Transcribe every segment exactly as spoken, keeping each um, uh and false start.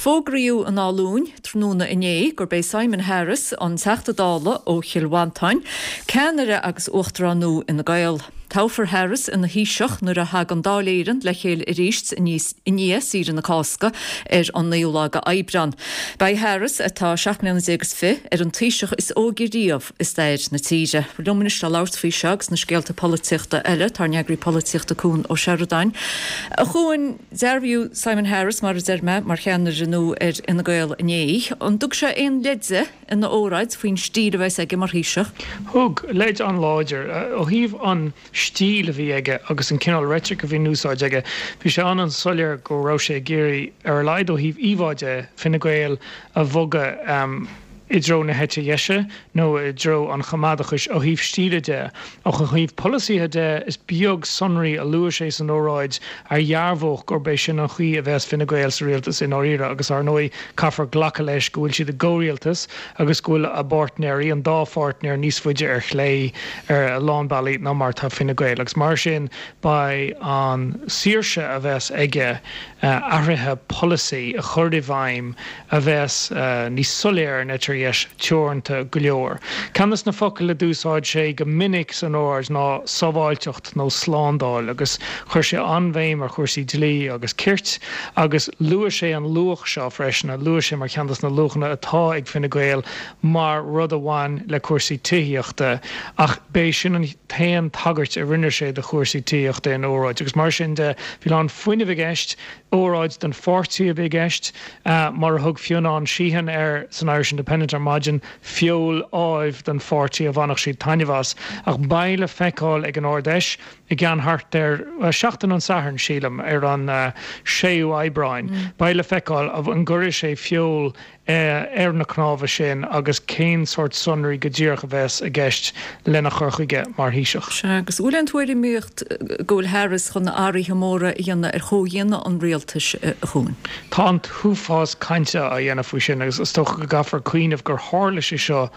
Fógraíodh i nDáil Luain tráthnóna inné gurb é Simon Harris an Teachta Dála ó Chill Mhantáin, ceannaire agus uachtarán nua Fhine Gael. Toghfar Harris ina Thaoiseach nuair a thagann Dáil Éireann le chéile arís i ndiaidh saoire na Cásca ar an naoú lá d'Aibreán. Beidh Harris atá seacht mbliana déag is fiche ar an Taoiseach is óige riamh i stair na tíre. Liom anois le labhairt faoi seo agus na scéalta polaitíochta eile tá ár n-eagraí polaitíochta Cuan Ó Seireadáin. A Chuain dearbhaíodh Simon Harris mar a deir mé mar cheannaire nua ar Fhine Gael inné. An dtug sé aon leide ina óráid faoin stíl a bheas aige mar Thaoiseach? Thug leid an-láidir ó thaobh an stíl a bhí aige agus an cineál reitric a bhí in úsáid aige. Bhí sé an-an-soiléir go raibh sé ag iarraidh ar a laghad ó thaobh íomhá de Fine Gael a bhogadh i dtreo na heite dheise nó i dtreo an choimeádachais ó thaobh stíle de. Ach ó thaobh polasaithe de is beag sonraí a luaigh sé san óráid a dhearbhódh gurb é sin an chaoi a bheas Fine Gael sa rialtas i ndáiríre agus ar ndóigh caithfear glacadh leis go bhfuil siad i gcomhrialtas agus go bhfuil a bpáirtnéirí, an dá pháirtnéir, níos faide ar chlé ar a lán bealaí ná mar atá Fine Gael agus mar sin beidh an saoirse a bheas aige athruithe polasaí a chur i bhfeidhm a bheas níos soiléire ar an eite dheis teoranta go leor. Ceann de na focail a d'úsáid sé go minic san óráid ná sábháilteacht nó slándáil agus chuir sé an-bhéim ar chúrsaí dlí agus cirt agus luaigh sé an luach seo freisin, a luaigh sé mar cheann de na luachanna atá ag Fine Gael mar rud a bhain le cúrsaí tithíochta ach b'é sin an t-aon tagairt a rinne sé do chúrsaí tithíochta ina óráid agus mar sin de bhí a lán fuinnimh i gceist, óráid don pháirtí a bhí i gceist, mar a thug Fionnán Sheehan air san Irish Independent ar maidin, feoil ádhaimh don pháirtí a bhainfeadh siad taitneamh as. Ach beidh le feiceáil ag an Ard-Fheis i gceann thart ar seachtain ón Satharn, sílim, ar an séú Aibreáin, beidh le feiceáil an gcuirfidh sé feoil ar na cnámha sin agus cén sórt sonraí go díreach a bheas i gceist lena chur chuige mar Thaoiseach. Sea, agus bhfuil aon tuairimíocht go bhfuil Harris chun athruithe móra a dhéanamh ar chomhdhéanamh an rialtais, a Chuain? Tá an t-uafás cainte á dhéanamh faoi sin agus is dócha go gcaithfear cuimhneamh gur tharla sé seo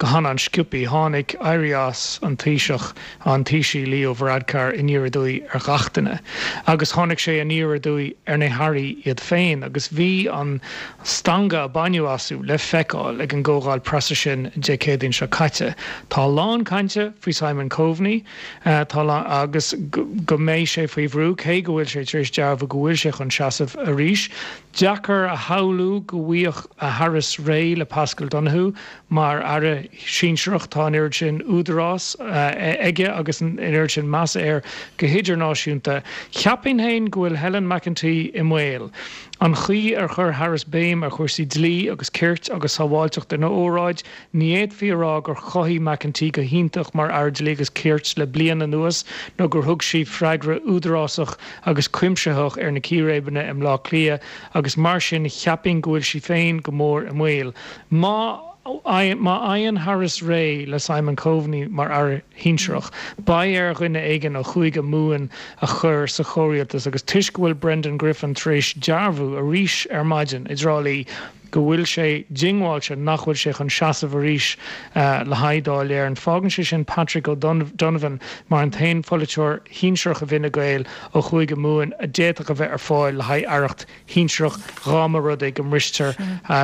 go han-an-sciobtha. Tháinig éirí as an Taoiseach, an Taoisigh Leo Varadkar aniar aduaidh ar ghach duine agus tháinig sé aniar aduaidh ar na hairí iad féin agus bhí an stangadh a baineadh astu le feiceáil ag an gcomhdháil preasa sin Dé Céadaoin seo caite. Tá a lán cainte faoi Simon Coveney tá agus go mbeidh sé faoi bhrú cé go bhfuil sé tar éis dearbhú go bhfuil sé chun seasamh arís. Deacair a shamhlú go bhfaigheadh Harris réidh le Paschal Donohoe mar aire sinsearach. Tá an oiread sin údarás aige agus an oiread sin measa air go hidirnáisiúnta. Cheapfainn féin go bhfuil Helen McEntee i mbaol. An chaoi ar chuir Harris béim ar chúrsaí dlí agus cirt agus sábháilteacht ina óráid, ní fhéadfaí a rá gur chothaigh McEntee go hiontach mar Aire Dlí agus Cirt le bliain anuas nó gur thug sí freagra údarásach agus cuimsitheach ar na círéibeanna i mBleá Cliath agus mar sin cheapfainn go bhfuil sí féin go mór i mbaol. Má má fhaigheann Harris réidh le Simon Coveney mar aire shinsearach, beidh ar dhuine éigin ó Chúige Mumhan a chur sa chomhrialtas agus toisc go bhfuil Brendan Griffin tar éis dearbhú arís ar maidin i dTrá Lí go bhfuil sé diongbháilte nach bhfuil sé chun seasamh arís le haghaidh Dáil Éireann, fágann sé sin Patrick O'Donovan mar an t-aon pholaiteoir shinsearach i bhFine Gael ó Chúige Mumhan a d'fhéadfadh a bheith ar fáil le haghaidh aireacht shinsearach dhá mba rud é go mbristear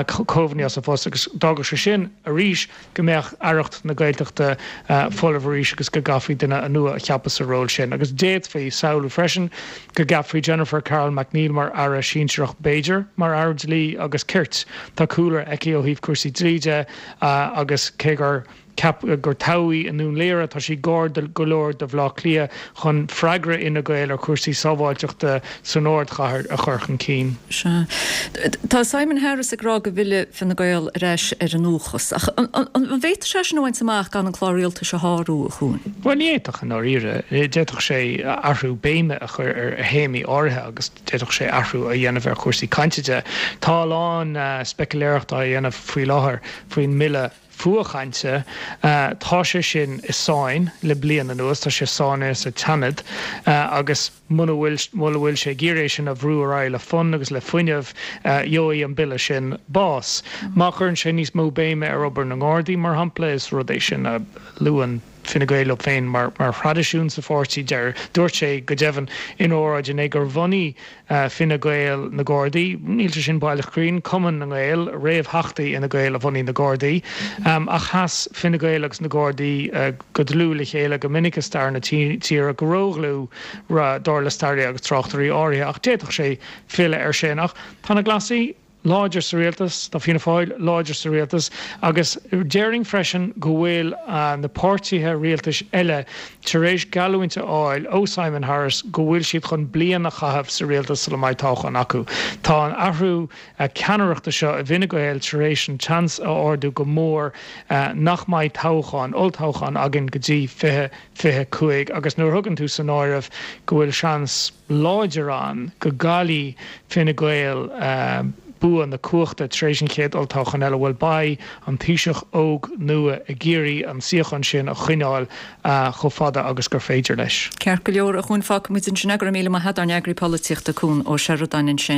Coveney as a phost agus d'fhágfadh sé sin arís go mbeadh aireacht na Gaeltachta folamh arís agus go gcaithfí duine nua a cheapadh sa ról sin. Agus d'fhéadfaí samhlú freisin go gceapfaí Jennifer Carroll MacNeill mar aire sinsearach, b'fhéidir mar aire dlí agus cirt. Tá cúlra aici ó thaobh cúrsaí dlí de agus cé gur ceapadh gur toghadh í i nDún Laoghaire, tá sí gar go leor do Bhaile Átha Cliath chun freagra Fhine Gael ar chúrsaí sábháilteachta san ardchathair a chur chun cinn. Sea. Tá Simon Harris ag rá go bhfillfidh Fine Gael ar ais ar a ndúchas. Ach an bhféadfadh sé sin a bhaint amach gan an clár rialtais a shárú, a Chuain? Bhuel, ní fhéadfadh, i ndáiríre. D'fhéadfadh sé athrú béime a chur ar théamaí áirithe agus d'fhéadfadh sé athrú a dhéanamh ar chúrsaí cainte de. Tá a lán speicealéireachta á dhéanamh faoi láthair faoin mbille fuathchainte. Tá sé sin i sáinn le bliain anuas, tá sé sáinnithe sa tSeanad agus muna bhfuil muna bhfuil sé ag iarraidh é sin a bhrú ar aghaidh le fonn agus le fuinneamh, gheobhaidh an bille sin bás. Má chuireann sé níos mó béime ar obair na nGardaí, mar shampla, is rud é sin a luann Fine Gael leo féin mar mar thraidisiún sa pháirtí deir dúirt sé go deimhin in óráid inné gur bhunaigh Fine Gael na Gardaí, níl sé sin baileach cruinn, Cumann na nGael, réamhtheachtaí Fhine Gael a bhunaigh na Gardaí, ach sheas Fine Gael agus na Gardaí go dlúth le chéile go minic i stair na tíre, go ródhlúth dar le staraithe agus tráchtairí áirithe, ach d'fhéadfadh sé filleadh air sin. Ach tá na Glasaigh láidir sa rialtas, tá Fianna Fáil láidir sa rialtas agus déarfainn freisin go bhfuil na páirtithe rialtais eile tar éis geallúint a fháil ó Simon Harris go bhfuil siad chun bliain a chaitheamh sa rialtas sula mbeidh toghchán acu. Tá an athrú ceannaireachta seo i bhFine Gael tar éis an seans a ardú go mór nach mbeidh toghchán, olltoghchán againn go dtí fiche fiche cúig agus nuair a thugann tú san áireamh go bhfuil seans láidir ann go gcaillfidh Fine Gael bua na cumhachta tar éis an chéad olltoghchán eile, bhuel beidh an Taoiseach óg nua ag iarraidh an suíochán sin a choinneáil chomh fada agus gur féidir leis. Ceart go leor, a Chuain, fágfaidh muid ansin é. Go raibh míle maith agat, ár n-eagraí polaitíochta Cuan Ó Seireadáin ansin.